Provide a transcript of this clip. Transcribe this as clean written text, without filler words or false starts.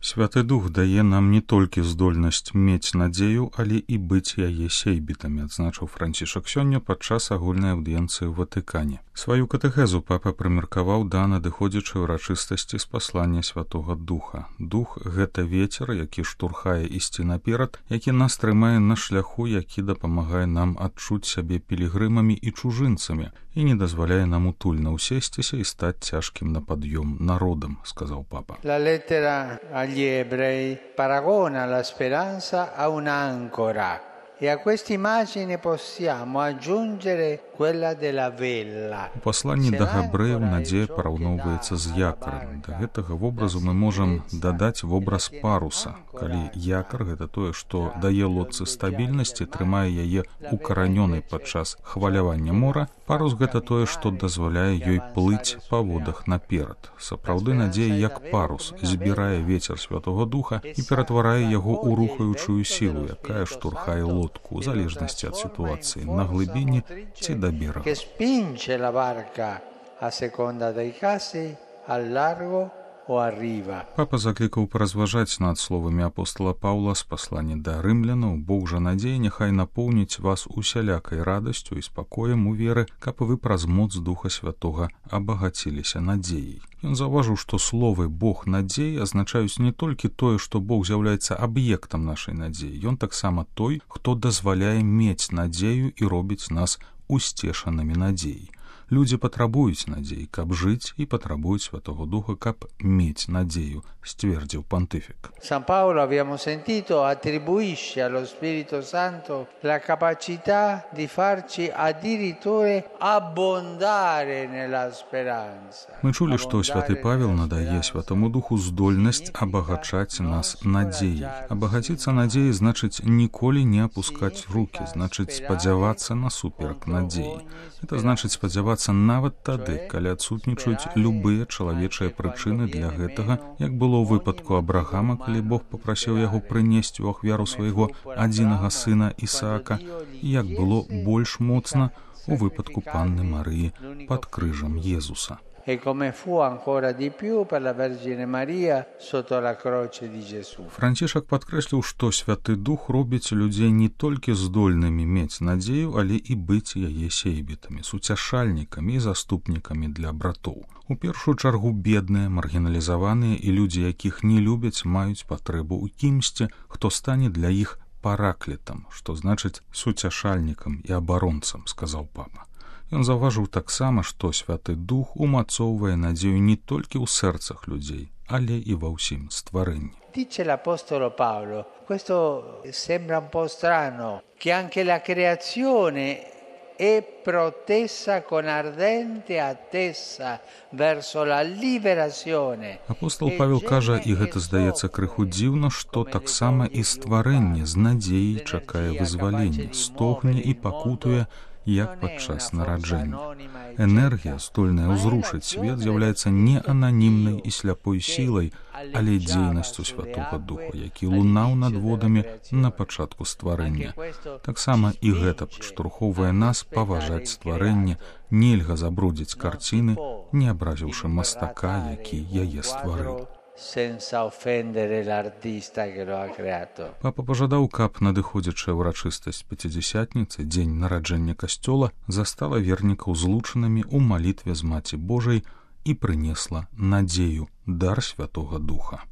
Святы Дух дае нам не толькі здольнасць мець надзею, але і быць яе сейбітамі, адзначыў Францішак сёння падчас агульнай аўдыенцыі ў Ватыкане. Сваю катэхезу папа прымеркаваў да надыходзячай урачыстасці спаслання Святога Духа. Дух — гэта вецер, які штурхае ісці наперад, які нас трымае на шляху, які дапамагае нам адчуць сябе пілігрымамі і чужынцамі і не дазваляе нам утульна ўсесціся і стаць цяжкім на пад'ём народам, сказаў папа. La lettera agli ebrei paragona la speranza a un'ancora e a questa immagine possiamo aggiungere quella della vela. У пасланні да габрэяў надзея параўноўваецца з якарам. Да гэтага вобразу мы можам дадаць вобраз паруса. Калі якар — гэта тое, што дае лодцы стабільнасць і трымае яе укаранёнай падчас хвалявання мора, парус — гэта тое, што дазваляе ёй плыць па водах наперад. Сапраўды надзея як парус збірае вецер Святога Духа і ператварае яго ў рухаючую сілу, якая штурхае лодку ў залежнасці ад сітуацыі на глыбіні ці да берага. Che spinge la barca a seconda dei casi al largo o a riva. Папа заклікаў паразважаць над словамі апостола Паўла з паслання да рымлянаў: Бог жа надзеі няхай напоўніць вас усялякай радасцю і спакоем у веры, каб вы праз моц Духа Святога абагаціліся надзеяй. Ён заўважыў, што словы «Бог надзеі» азначаюць не толькі тое, што Бог з'яўляецца аб'ектам нашай надзеі. Ён таксама той, хто дазваляе мець надзею і робіць нас усцешанымі надзеяй. Людзі патрабуюць надзеі, каб жыць, і патрабуюць Святого Духа, каб мець надзею, сцвердзіў пантыфік. San Paolo, abbiamo sentito, attribuisce allo Spirito Santo la capacità di farci addirittura abbondare nella speranza. Мы чулі, што святы Павел надае Святому Духу здольнасць абагачаць нас надзеяй. Абагаціцца надзеяй значыць ніколі не апускаць рукі, значыць спадзявацца насуперак надзеі. Это значыць спадзявацца нават тады, калі адсутнічаюць любыя чалавечыя прычыны для гэтага, як было ў выпадку Абрахама, калі Бог папрасіў яго прынесці ў ахвяру свайго адзінага сына Ісаака, і як было больш моцна у выпадку Панны Марыі пад крыжам Езуса. E come fu ancora di più per la Vergine Maria sotto la croce di Gesù. Францішак падкрэсліў, што Святы Дух робіць людзей не толькі здольнымі мець надзею, але і быць яе сейбітамі, суцяшальнікамі і заступнікамі для братоў. У першую чаргу бедныя, маргіналізаваныя і людзі, якіх не любяць, маюць патрэбу ў кімсьці, хто стане для іх параклетам, што значыць суцяшальнікам і абаронцам, сказаў папа. Ён заўважыў таксама, што Святы Дух умацоўвае надзею не толькі ў сэрцах людзей, але і ва ўсім стварэнні. Dice l'Apostolo Paolo, questo sembra un po' strano, che anche la creazione è protessa con ardente attesa verso la liberazione. Апостол Павел кажа, і гэта здаецца крыху дзіўна, што таксама і стварэнне з надзеяй чакае вызвалення, стогне і пакутуе, як падчас нараджэння. Энергія, здольная ўзрушыць свет, з'яўляецца не ананімнай і сляпой сілай, але дзейнасцю Святога Духа, які лунаў над водамі на пачатку стварэння. Таксама і гэта падштурхоўвае нас паважаць стварэнне, нельга забрудзіць карціны, не абразіўшы мастака, які яе стварыў. Senza offendere l'artista che lo ha creato. Папа пажадаў, каб надыходзячая ўрачыстасць Пяцідзясятніцы, дзень нараджэння касцёла, застала вернікаў злучанымі ў малітве з Маці Божай і прынесла надзею, дар Святога Духа.